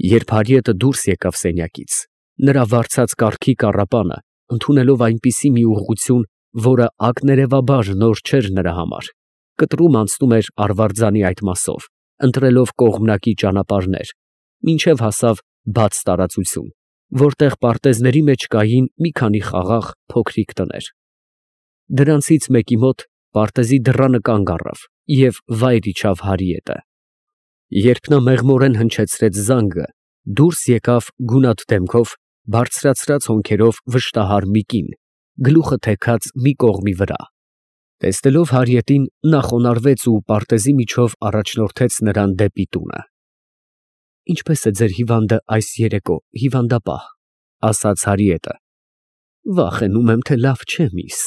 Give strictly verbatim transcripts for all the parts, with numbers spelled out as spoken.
Երբ Հարիետը դուրս եկավ սենյակից, նրա վարձած կառքի կառապանը, ընդունելով այնպիսի մի ուղղություն, որը ակներևաբար նոր չէր նրա համար, կտրում անցնում էր արվարձանի այդ մասով, ընտրելով կողմնակի ճանապարհներ, մինչև հասավ բաց տարածություն, որտեղ պարտեզների մեջ կային մի քանի խաղաղ փոքրիկ տներ։ Դրանցից մեկի մոտ պարտեզի դռանը կանգ առավ և վայր իջավ Հարիետը։ Երբ նա մեղմորեն հնչեցրեց զանգը, դուրս եկավ գունատ դեմքով, բարձրացրած հոնքերով վշտահար մի կին, գլուխը թեքած մի կողմի վրա։ Տեսնելով Հարիետին, նա խոնարհվեց ու պարտեզի միջով առաջնորդեց նրան դեպի տունը։ «Ինչպե՞ս է ձեր հիվանդը այս երեկո, հիվանդապահ», ֊ ասաց Հարիետը։ «Վախենում եմ, թե լավ չէ, միս.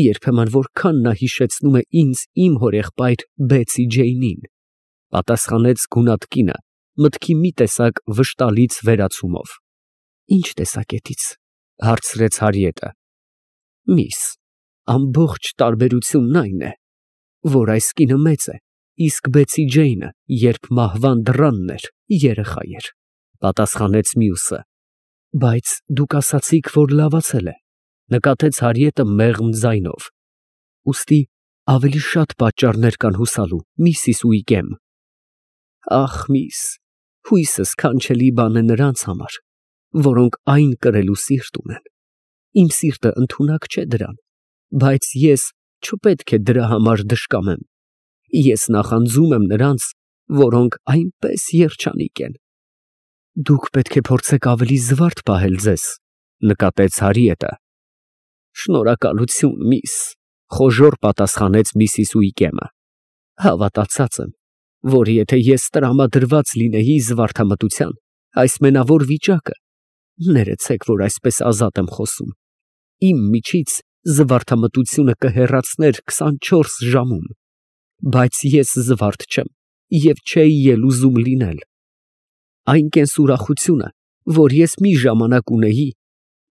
երբեմն որքան նա հիշեցնում է ինձ իմ հորեղբայր Բեցի Ջեյնին», ֊ պատասխանեց գունատ կինը, մտքի մի տեսակ վշտալից վերացումով։ «Ի՞նչ տեսակետից», ֊ հարցրեց Հարիետը։ «Միս, ամբողջ տարբերությունն այն է, որ այս կինը մեծ է, իսկ Բեցի Ջեյնը, երբ մահվան դռանն էր, երեխա էր», ֊ պատասխանեց մյուսը։ «Բայց դուք ասացիք, որ լավացել է», ֊ նկատեց Հարիետը մեղմ ձայնով։ «Ուստի ավելի շատ պատճառներ կան հուսալու, միսիս Ուիքեմ»։ «Ախ, միս, հույսը սքանչելի բան է նրանց համար, որոնք այն կրելու սիրտ ունեն։ Իմ սիրտը ընդունակ չէ դրան, բայց ես չպետք է դրա համար դժկամեմ։ Ես նախանձում եմ նրանց, որոնք այնպես երջանիկ են»։ «Դուք պետք է փորձեք ավելի զվարթ պահել ձեզ», ֊ նկատեց Հարիետը։ «Շնորհակալություն, միս», ֊ խոժոռ պատասխանեց միսիս Ուիքեմը։ «Հավատացած եմ, որ եթե ես տրամադրված լինեի զվարթամտության, այս մենավոր վիճակը, ներեցեք, որ այսպես ազատ եմ խոսում, իմ միջից զվարթամտությունը կհեռացներ քսանչորս ժամում, բայց ես զվարթ չեմ և չէի էլ ուզում լինել։ Այն կենսուրախությունը, որ ես մի ժամանակ ունեի,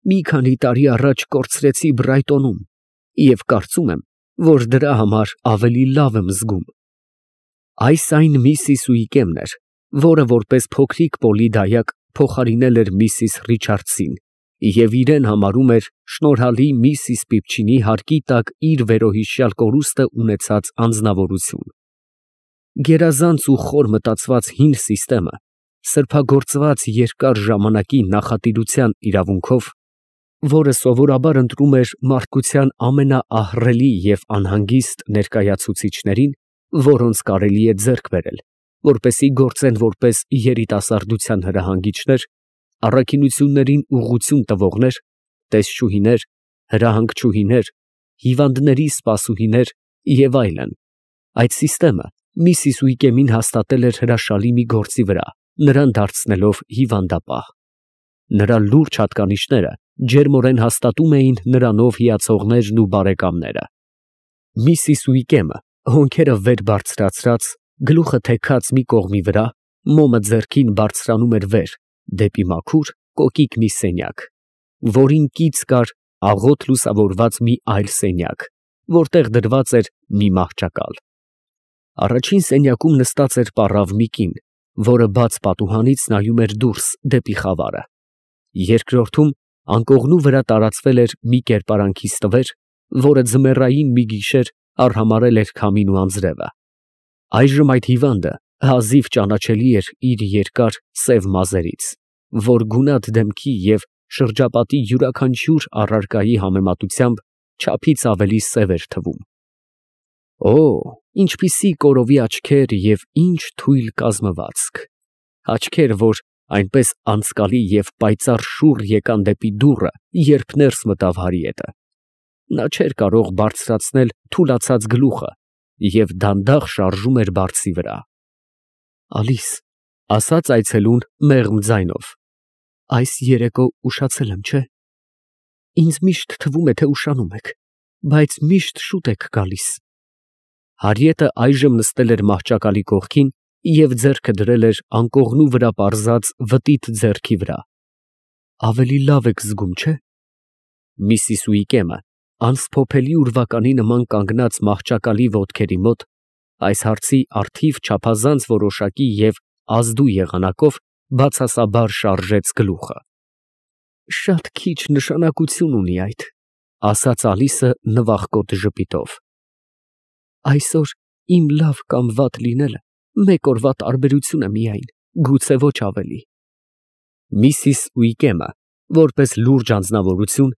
մի քանի տարի առաջ կորցրեցի Բրայտոնում և կարծում եմ, որ դրա համար ավելի լավ եմ զգում»։ Այս այն միսիս Ուիքեմն էր, որը որպես փոքրիկ պոլի դայակ փոխարինել էր միսիս Ռիչարդսին և իրեն համարում էր շնորհալի միսիս Պիպչինի հարկի տակ իր վերոհիշյալ կորուստը ունեցած անձնավորություն։ Գերազանց ու խոր մտածված հին սիստեմը, սրբագործված երկար ժամանակի նախատիրության իրավունքով, որը սովորաբար ընտրում էր մարդկության ամենաահռելի և անհանգիստ ներկայացուցիչներին, որոնց կարելի է ձեռք բերել, որպեսզի գործեն որպես երիտասարդության հրահանգիչներ, առաքինություններին ուղղություն տվողներ, տեսչուհիներ, հրահանգչուհիներ, հիվանդների սպասուհիներ և այլն, այդ սիստեմը միսիս Ուիքեմին հաստատել էր հրաշալի մի գործի վրա, նրան դարձնելով հիվանդապահ։ Նրա լուրջ հատկանիշները ջերմորեն հաստատում էին նրանով հիացողներն ու բարեկամները։ Միսիս Ուիքեմը, հոնքերը վեր բարձրացրած, գլուխը թեքած մի կողմի վրա, մոմը ձեռքին բարձրանում էր վեր, դեպի մաքուր, կոկիկ մի սենյակ, որին կից կար աղոտ լուսավորված մի այլ սենյակ, որտեղ դրված էր մի մահճակալ։ Առաջին սենյակում նստած էր պառավ մի կին, որը բաց պատուհանից նայում էր դուրս դեպի խավարը։ Երկրորդում անկողնու վրա տարածվել էր մի կերպարանքի ստվեր, որը ձմեռային մի գիշեր արհամարհել էր քամին ու անձրևը։ Այժմ այդ հիվանդը հազիվ ճանաչելի էր իր երկար սև մազերից, որ գունատ դեմքի և շրջապատի յուրաքանչյուր առարկայի համեմատությամբ չափից ավելի սև էր թվում։ Օ, ինչպիսի կորովի աչքեր և ինչ թույլ կազմվածք, աչքեր, որ այնպես անցկալի և պայծառ շուռ եկան դեպի դուռը, երբ ներս մտավ Հարիետը։ Նա չէր կարող բարձրացնել թուլացած գլուխը և դանդաղ շարժում էր բարձի վրա։ «Ալիս», ֊ ասաց այցելուն մեղմ ձայնով, «այս երեկո ուշացել եմ, չէ՞։ Ինձ միշտ թվում է, թե ուշանում եք, բայց միշտ շուտ եք գալիս»։ Հարիետը այժմ նստել էր մահճակալի կողքին և ձեռքը դրել էր անկողնու վրա պարզած վտիտ ձեռքի վրա։ «Ավելի լավ եք զգում, չէ՞։ Միսիս Ուիքեմը, անսփոփելի ուրվականի նման կանգնած մահճակալի ոտքերի մոտ, այս հարցի առթիվ չափազանց որոշակի և ազդու եղանակով բացասաբար շարժեց գլուխը։ Շատ քիչ նշանակություն ունի այդ, ասաց Ալիսը նվախկոտ ժպիտով։ Այսօր իմ լավ կամ վատ լինելը մեկ օրվա տարբերություն է միայն, գուցե ոչ ավելի։ Միսիս Ուիկեմը, որպես լուրջ անձնավորություն,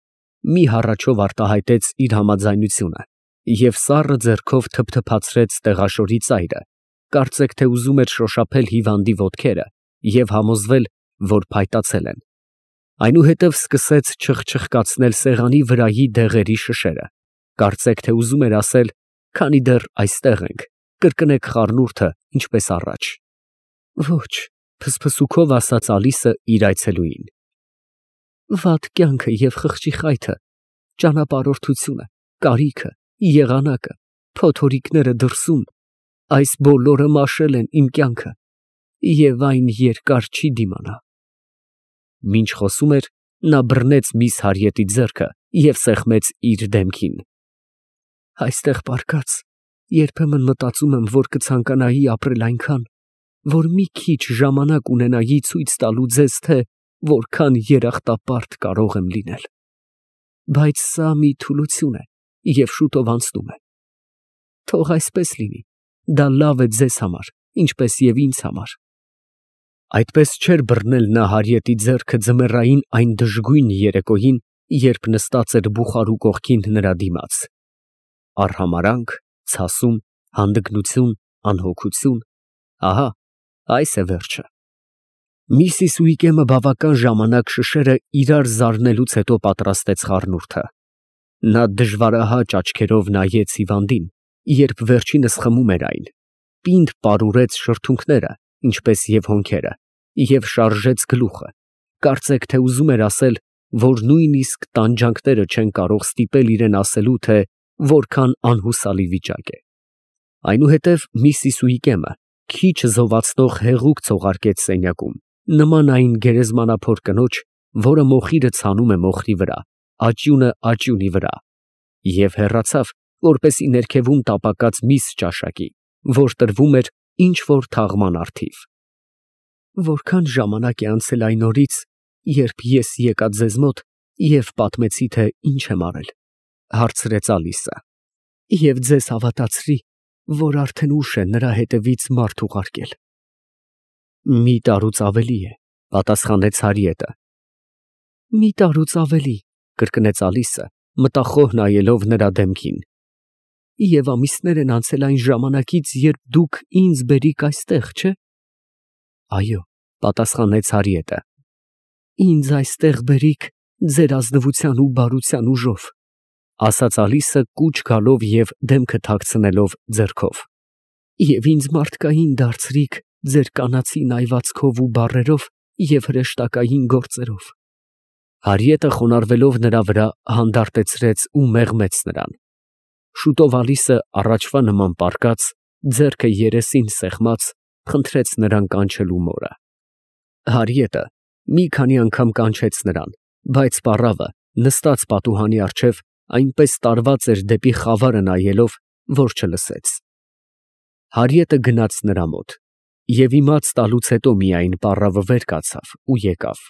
մի հառաչով արտահայտեց իր համաձայնությունը և սառը ձեռքով թփթփացրեց տեղաշորի ծայրը, կարծեք թե ուզում էր շոշափել հիվանդի ոտքերը և համոզվել, որ փայտացել են։ Այնուհետև սկսեց չխչխկացնել սեղանի վրայի դեղերի շշերը, կարծեք թե ուզում էր ասել, քանի դեռ այստեղ ենք, կրկնեք խառնուրդը, ինչպես առաջ։ Ոչ, փսփսուքով ասաց Ալիսը իր այցելուին։ Վատ կյանքը և խղճի խայթը, ճանապարհորդությունը, կարիքը, եղանակը, փոթորիկները դրսում, այս բոլորը մաշել են իմ կյանքը և այն երկար չի դիմանա։ Մինչ խոսում էր, նա բռնեց միս Հարիետի ձեռքը և սեղմեց իր դեմքին։ Այստեղ պառկած, երբեմն մտածում եմ, որ կցանկանայի ապրել այնքան, որ մի քիչ ժամանակ ունենայի ցույց տալու ձեզ, թե որքան երախտապարտ կարող եմ լինել։ Բայց սա մի թուլություն է և շուտով անցնում է։ Թող այսպես լինի, դա լավ է ձեզ համար, ինչպես և ինձ համար։ Այդպես չէր բռնել նա Հարիետի ձեռքը ձմեռային այն դժգույն երեկոյին, երբ նստած էր բուխարու կողքին նրա դիմաց։ Արհամարհանք, ցասում, հանդգնություն, անհոգություն, ահա այս է վերջը։ Միսիս Ուիկեմը բավական ժամանակ շշերը իրար զարնելուց հետո պատրաստեց խառնուրդը։ Նա դժվարահաճ աչքերով նայեց հիվանդին, երբ վերջինս խմում էր այն, պինդ պարուրեց շրթունքները, ինչպես և հոնքերը, և շարժեց գլուխը, կարծեք թե ուզում էր ասել, որ նույնիսկ տանջանքները չեն կարող ստիպել իրեն ասելու, թե որքան անհուսալի վիճակ է։ Այնուհետև միսիս Ուիկեմը քիչ զովացնող հեղուկ ցողարկեց սենյակում, նման այն գերեզմանափոր կնոջ, որը մոխիրը ցանում է մոխրի վրա, աճյունը աճյունի վրա, և հեռացավ, որպեսզի ներքևում տապակած միս ճաշակի, որ տրվում էր ինչ֊որ թաղման առթիվ։ Որքան ժամանակ է անցել այն օրից, երբ ես եկա ձեզ մոտ և պատմեցի, թե ինչ եմ արել, հարցրեց Ալիսը, և ձեզ հավատացրի, որ արդեն ուշ է նրա հետևից մարդ ուղարկել։ Մի տարուց ավելի է, պատասխանեց Հարիետը։ Մի տարուց ավելի, կրկնեց Ալիսը, մտախոհ նայելով նրա դեմքին։ Եվ ամիսներ են անցել այն ժամանակից, երբ դուք ինձ բերիք այստեղ, չէ՞։ Այո, պատասխանեց Հարիետը։ Ինձ այստեղ բերիք ձեր ազնվության ու բարության ուժով, ասաց Ալիսը կուչ գալով և դեմքը թաքցնելով ձեռքով, և ինձ մարդկային դարձրիք ձեր կանացի նայվածքով ու բառերով և հրեշտակային գործերով։ Հարիետը խոնարհվելով նրա վրա հանդարտեցրեց ու մեղմեց նրան։ Շուտով Ալիսը առաջվա նման պառկած, ձեռքը երեսին սեղմած, խնդրեց նրան կանչելու մորը։ Հարիետը մի քանի անգամ կանչեց նրան, բայց պառավը, նստած պատուհանի առջև, այնպես տարված էր դեպի խավարը նայելով, որ չլսեց։ Հարիետը գնաց նրա մոտ և իմաց տալուց հետո միայն պառավը վեր կացավ ու եկավ։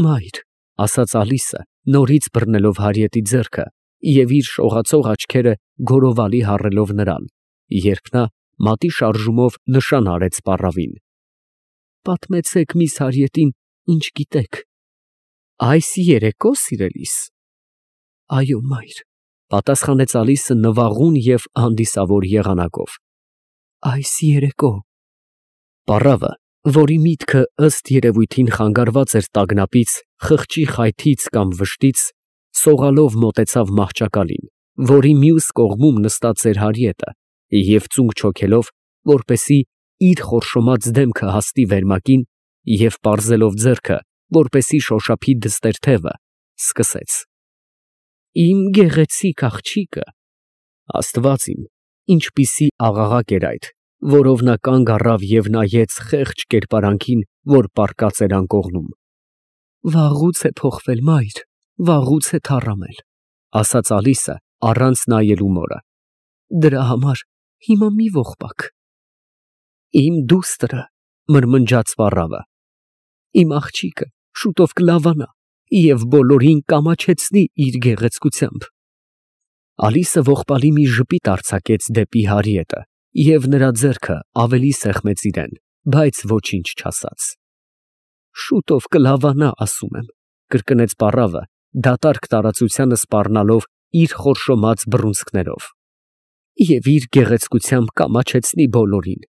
Մայր, ասաց Ալիսը, նորից բռնելով Հարիետի ձեռքը և իր շողացող աչքերը գորովալի հառելով նրան, երբ նա մատի շարժումով նշան արեց պառավին։ Պատմեցեք միս Հարիետին, ինչ գիտեք։ Այս երեկո, սիրելիս։ Այո, մայր, պատասխանեց Ալիսը նվաղուն և հանդիսավոր եղանակով։ Այս երեկո։ Պառավը, որի միտքը ըստ երևույթին խանգարված էր տագնապից, խղճի խայթից կամ վշտից, սողալով մոտեցավ մահճակալին, որի մյուս կողմում նստած էր Հարիետը, և ծունկ չոքելով, որպեսզի իր խորշոմած դեմքը հասնի վերմակին, և պարզելով ձեռքը, որպեսզի շոշափի դստեր թևը, սկսեց. Իմ գեղեցիկ աղջիկը, Աստված իմ, ինչպիսի աղաղակ էր այդ, որով նա կանգ առավ և նայեց խեղճ կերպարանքին, որ պառկած էր անկողնում։ Վաղուց է փոխվել, մայր, վաղուց է թառամել, ասաց Ալիսը, առանց նայելու մորը։ Դրա համար հիմա մի ողբակ։ Իմ դուստրը, մրմնջաց պառավը, Իմ աղջիկը շուտով կլավանա և բոլորին կամաչեցնի իր գեղեցկությամբ։ Ալիսը ողբալի մի ժպիտ արձակեց դեպի Հարիետը և նրա ձեռքը ավելի սեղմեց իրեն, բայց ոչինչ չասաց։ Շուտով կլավանա, ասում եմ, կրկնեց պառավը, դատարկ տարածությանը սպառնալով իր խորշոմած բռունցքներով, և իր գեղեցկությամբ կամաչեցնի բոլորին,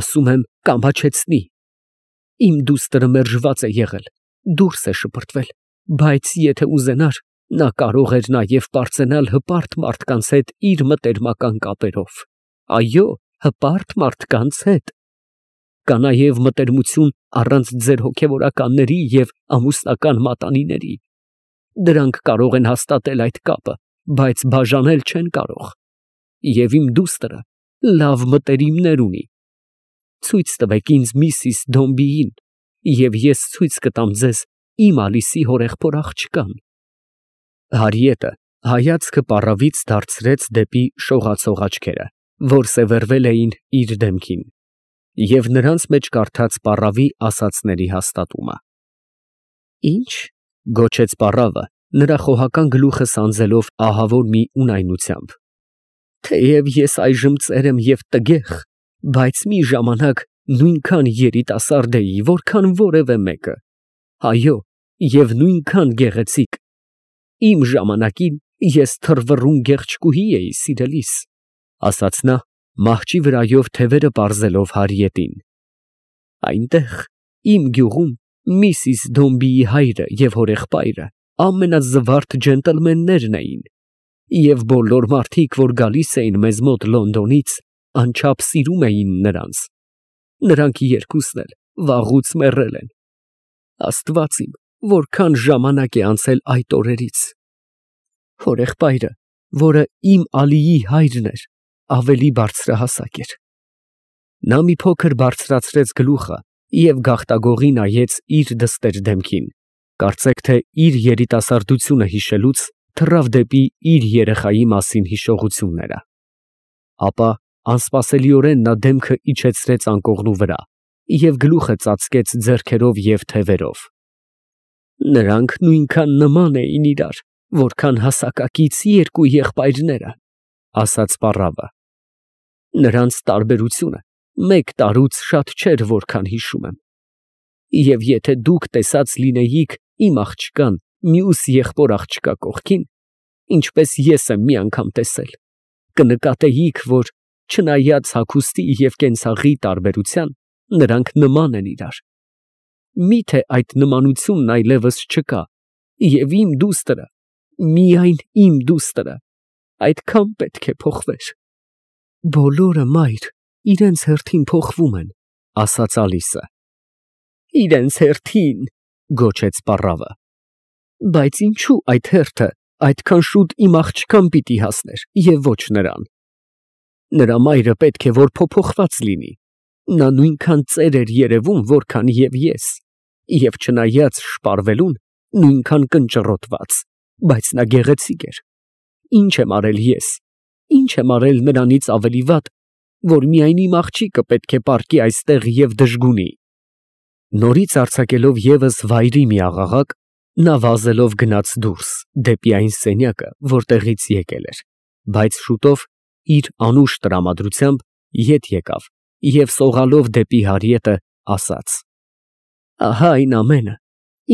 ասում եմ, կամաչեցնի։ Իմ դուստրը մերժված է եղել, դուրս է շպրտվել, բայց եթե ուզենար, նա կարող էր նաև պարծենալ հպարտ մարդկանց հետ իր մտերմական կապերով, այո, հպարտ մարդկանց հետ։ Կա նաև մտերմություն առանց ձեր հոգևորականների և ամուսնական մատանիների։ Դրանք կարող են հաստատել այդ կապը, բայց բաժանել չեն կարող։ Եվ իմ դուստրը լավ մտերիմներ ունի։ Ցույց տվեք ինձ միսիս Դոմբիին, և ես ցույց կտամ ձեզ իմ Ալիսի հորեղբոր աղջկան։ Հարիետը հայացքը պառավից դարձրեց դեպի շողացող աչքերը, որ սևեռվել էին իր դեմքին, և նրանց մեջ կարդաց պառավի ասածների հաստատումը։ Ի՞նչ, գոչեց պառավը, նրա խոհական գլուխը սանձելով ահավոր մի ունայնությամբ, թեև ես այժմ ծեր եմ և տգեղ, բայց մի ժամանակ նույնքան երիտասարդ էի, որքան որևէ մեկը, այո, և նույնքան գեղեցիկ։ Իմ ժամանակին ես թռվռուն գեղչկուհի էի, սիրելիս, ասաց նա, մահճի վրայով թևերը պարզելով Հարիետին։ Այնտեղ, իմ գյուղում, միսիս Դոմբիի հայրը և հորեղբայրը ամենազվարթ ջենտլմեններն էին, և բոլոր մարդիկ, որ գալիս էին մեզ մոտ Լոնդոնից, անչափ սիրում էին նրանց։ Նրանք երկուսն էլ վաղուց մեռել են։ Աստված իմ, որքան ժամանակ է անցել այդ օրերից։ Հորեղբայրը, որը իմ Ալիի հայրն էր, ավելի բարձրահասակ էր։ Նա մի փոքր բարձրացրեց գլուխը և գաղտագողի նայեց իր դստեր դեմքին, կարծեք թե իր երիտասարդությունը հիշելուց թռավ դեպի իր երեխայի մասին հիշողությունները։ Ապա անսպասելիորեն նա դեմքը իջեցրեց անկողնու վրա և գլուխը ծածկեց ձեռքերով և թևերով։ Նրանք նույնքան նման էին իրար, որքան հասակակից երկու եղբայրները, ասաց պառավը։ Նրանց տարբերությունը մեկ տարուց շատ չէր, որքան հիշում եմ։ Եվ եթե դուք տեսած լինեիք իմ աղջկան մյուս եղբոր աղջկա կողքին, ինչպես ես եմ մի անգամ տեսել, կնկատեիք, որ չնայած հագուստի և կենցաղի տարբերության, նրանք նման են իրար։ Միթե այդ նմանությունն այլևս չկա, և իմ դուստրը, միայն իմ դուստրը, այդքան պետք է փոխվեր։ Բոլորը, մայր, իրենց հերթին փոխվում են, ասաց Ալիսը։ Իրենց հերթին, գոչեց պառավը։ Բայց ինչու այդ հերթը այդքան շուտ իմ աղջկան պիտի հասներ և ոչ նրան։ Նրա մայրը պետք է որ փոփոխված լինի։ Նա նույնքան ծեր էր երևում, որքան և ես, և չնայած շպարվելուն, նույնքան կնճռոտված, բայց նա գեղեցիկ էր։ Ինչ եմ արել ես, ինչ եմ արել նրանից ավելի վատ, որ միայն իմ աղջիկը պետք է պառկի այստեղ և դժգունի։ Նորից արձակելով ևս վայրի մի աղաղակ, նա վազելով գնաց դուրս, դեպի այն սենյակը, որտեղից եկել էր, բայց շուտով, իր անուշ տրամադրությամբ, ետ եկավ և սողալով դեպի Հարիետը, ասաց. Ահա այն ամենը,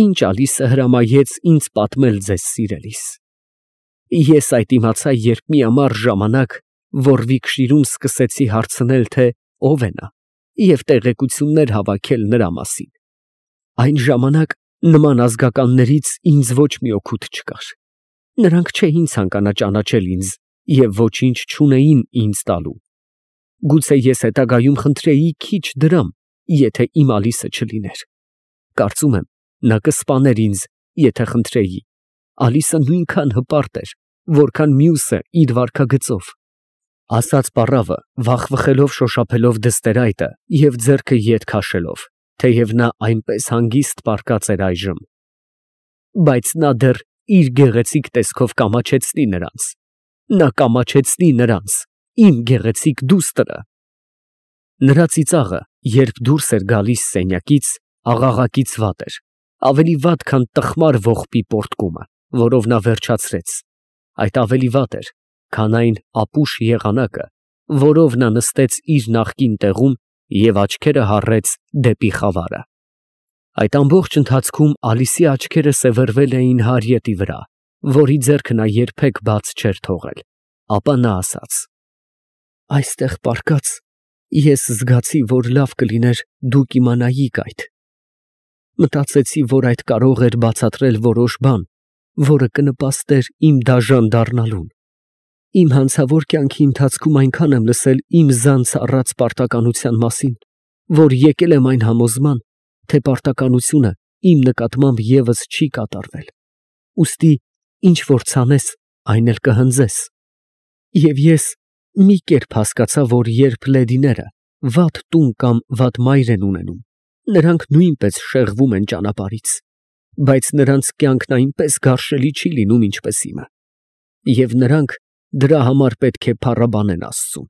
ինչ Ալիսը հրամայեց ինձ պատմել ձեզ, սիրելիս։ Ես այդ իմացա, երբ մի ամառ ժամանակ Ոռվիքշիրում սկսեցի հարցնել, թե ով է նա, և տեղեկություններ հավաքել նրա մասին։ Այն ժամանակ նման ազգականներից ինձ ոչ մի օգուտ չկար։ Նրանք չէին ցանկանա ճանաչել ինձ և ոչինչ չունեին ինձ տալու։ Գուցե ես հետագայում խնդրեի քիչ դրամ, եթե իմ Ալիսը չլիներ։ Կարծում եմ, նա կսպաներ ինձ, եթե խնդրեի։ Ալիսը նույնքան հպարտ էր, որքան մյուսը իր վարքագծով, ասաց պառավը, վախվխելով շոշափելով դստերայտը և ձեռքը ետ քաշելով, թեև նա այնպես հանգիստ պառկած էր այժմ։ Բայց նա դեռ իր գեղեցիկ տեսքով կամաչեցնի նրանց։ Նա կամաչեցնի նրանց, իմ գեղեցիկ դուստրը։ Նրա ծիծաղը, երբ դուրս էր գալիս սենյակից, աղաղակից վատ էր, ավելի վատ, քան տխմար ողբի պոռթկումը, որով նա վերջացրեց, այդ ավելի վատ էր, քան այն ապուշ եղանակը, որով նա նստեց իր նախկին տեղում և աչքերը հառեց դեպի խավարը։ Այդ ամբողջ ընթացքում Ալիսի աչքերը սևեռվել էին Հարիետի վրա, որի ձեռքը նա երբեք բաց չէր թողել, ապա նա ասաց. «Այստեղ պառկած, ես զգացի, որ լավ կլիներ դուք իմանայիք այդ. մտածեցի, որ այդ կարող էր բացատրել որոշ բան, որը կնպաստեր իմ դաժան դառնալուն։ Իմ հանցավոր կյանքի ընթացքում այնքան եմ լսել իմ զանց առած պարտականության մասին, որ եկել եմ այն համոզման, թե պարտականությունը իմ նկատմամբ ևս չի կատարվել, ուստի ինչ որ ցանես, այն էլ կհնձես։ Եվ ես մի կերպ հասկացա, որ երբ լեդիները վատ տուն կամ վատ մայր են ունենում, նրանք նույնպես շեղվում են ճանապարհից, բայց նրանց կյանքն այնպես գարշելի չի լինում, ինչպես իմը, և նրանք դրա համար պետք է փառաբանեն Աստծուն։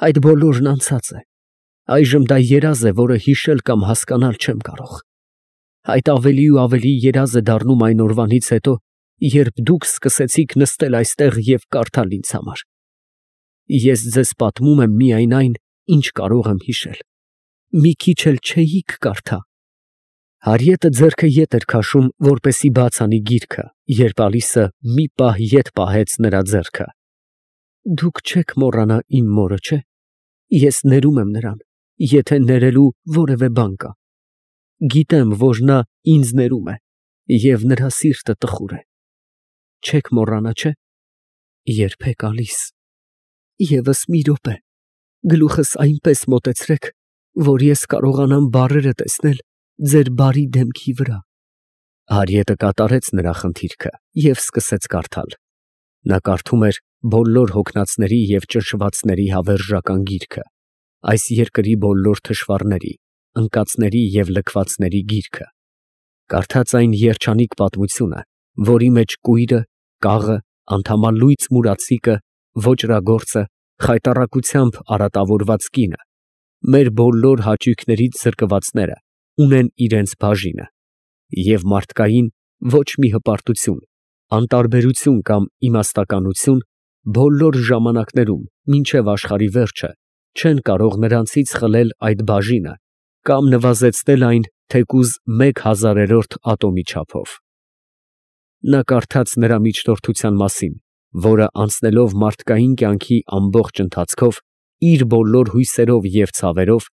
Այդ բոլորն անցած է, այժմ դա երազ է, որը հիշել կամ հասկանալ չեմ կարող։ Այդ ավելի ու ավելի երազ է դառնում այն օրվանից հետո, երբ դուք սկսեցիք նստել այստեղ և կարդալ ինձ համար։ Ես ձեզ պատմում եմ միայն այն, ինչ կարող եմ հիշել, մի քիչ էլ չէիք կարդա։ Հարիետը ձեռքը ետ էր քաշում, որպեսզի բաց անի գիրքը, երբ Ալիսը մի պահ ետ պահեց նրա ձեռքը։ Դուք չեք մոռանա իմ մորը, չէ՞։ Ես ներում եմ նրան, եթե ներելու որևէ բան կա։ Գիտեմ, որ նա ինձ ներում է, և նրա սիրտը տխուր է։ Չեք մոռանա, չէ՞։ Երբեք, Ալիս։ Եվս մի րոպե, գլուխս այնպես մոտեցրեք, որ ես կարողանամ բառերը տեսնել ձեր բարի դեմքի վրա։ Հարիետը կատարեց նրա խնդիրքը և սկսեց կարդալ։ Նա կարդում էր բոլոր հոգնածների և ճնշվածների հավերժական գիրքը, այս երկրի բոլոր թշվառների, ընկածների և լքվածների գիրքը։ Կարդաց այն երջանիկ պատմությունը, որի մեջ կույրը, կաղը, անդամալույծ մուրացիկը, ոճրագործը, խայտառակությամբ արատավորված կինը, մեր բոլոր հաճույքներից զրկվածները ունեն իրենց բաժինը, և մարդկային ոչ մի հպարտություն, անտարբերություն կամ իմաստականություն բոլոր ժամանակներում մինչև աշխարհի վերջը չեն կարող նրանցից խլել այդ բաժինը կամ նվազեցնել այն թեկուզ մեկ հազարերորդ ատոմի չափով։ Նա կարդաց նրա միջնորդության մասին, որը անցնելով մարդկային կյանքի ամբողջ ընթացքով, իր բոլոր հույսերով և ցավերով,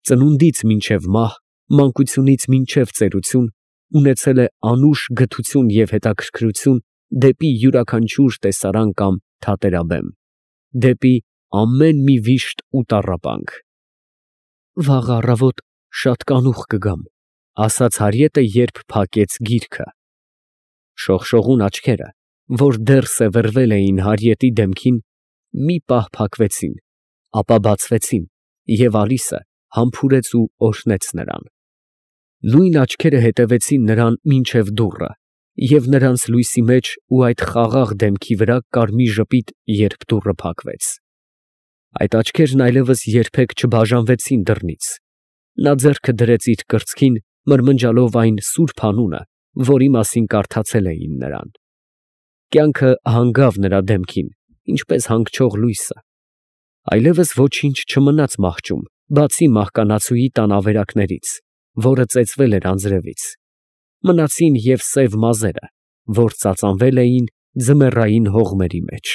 ծնունդից մինչև մահ, մանկությունից մինչև ծերություն, ունեցել է անուշ գթություն և հետաքրքրություն դեպի յուրաքանչյուր տեսարան կամ թատերաբեմ, դեպի ամեն մի վիշտ ու տառապանք։ Վաղ առավոտ շատ կանուխ կգամ, ասաց Հարիետը, երբ փակեց գիրքը։ Շողշողուն աչքերը, որ դեռ սևեռվել էին Հարիետի դեմքին, մի պահ փակվեցին, ապա բացվեցին, և Ալիսը համբուրեց ու օրհնեց նրան։ Նույն աչքերը հետևեցին նրան մինչև դուռը, և նրանց լույսի մեջ ու այդ խաղաղ դեմքի վրա կար մի ժպիտ, երբ դուռը փակվեց։ Այդ աչքերն այլևս երբեք չբաժանվեցին դռնից։ Նա ձեռքը դրեց իր կրծքին, մրմնջալով այն սուրբ անունը, որի մասին կարդացել էին նրան։ Կյանքը հանգավ նրա դեմքին, ինչպես հանգչող լույսը։ Այլևս ոչինչ չմնաց մահճում, բացի մահկանացուի տան ավերակներից, որը ծեծվել էր անձրևից։ Մնացին և սև մազերը, որ ծածանվել էին ձմեռային հողմերի մեջ։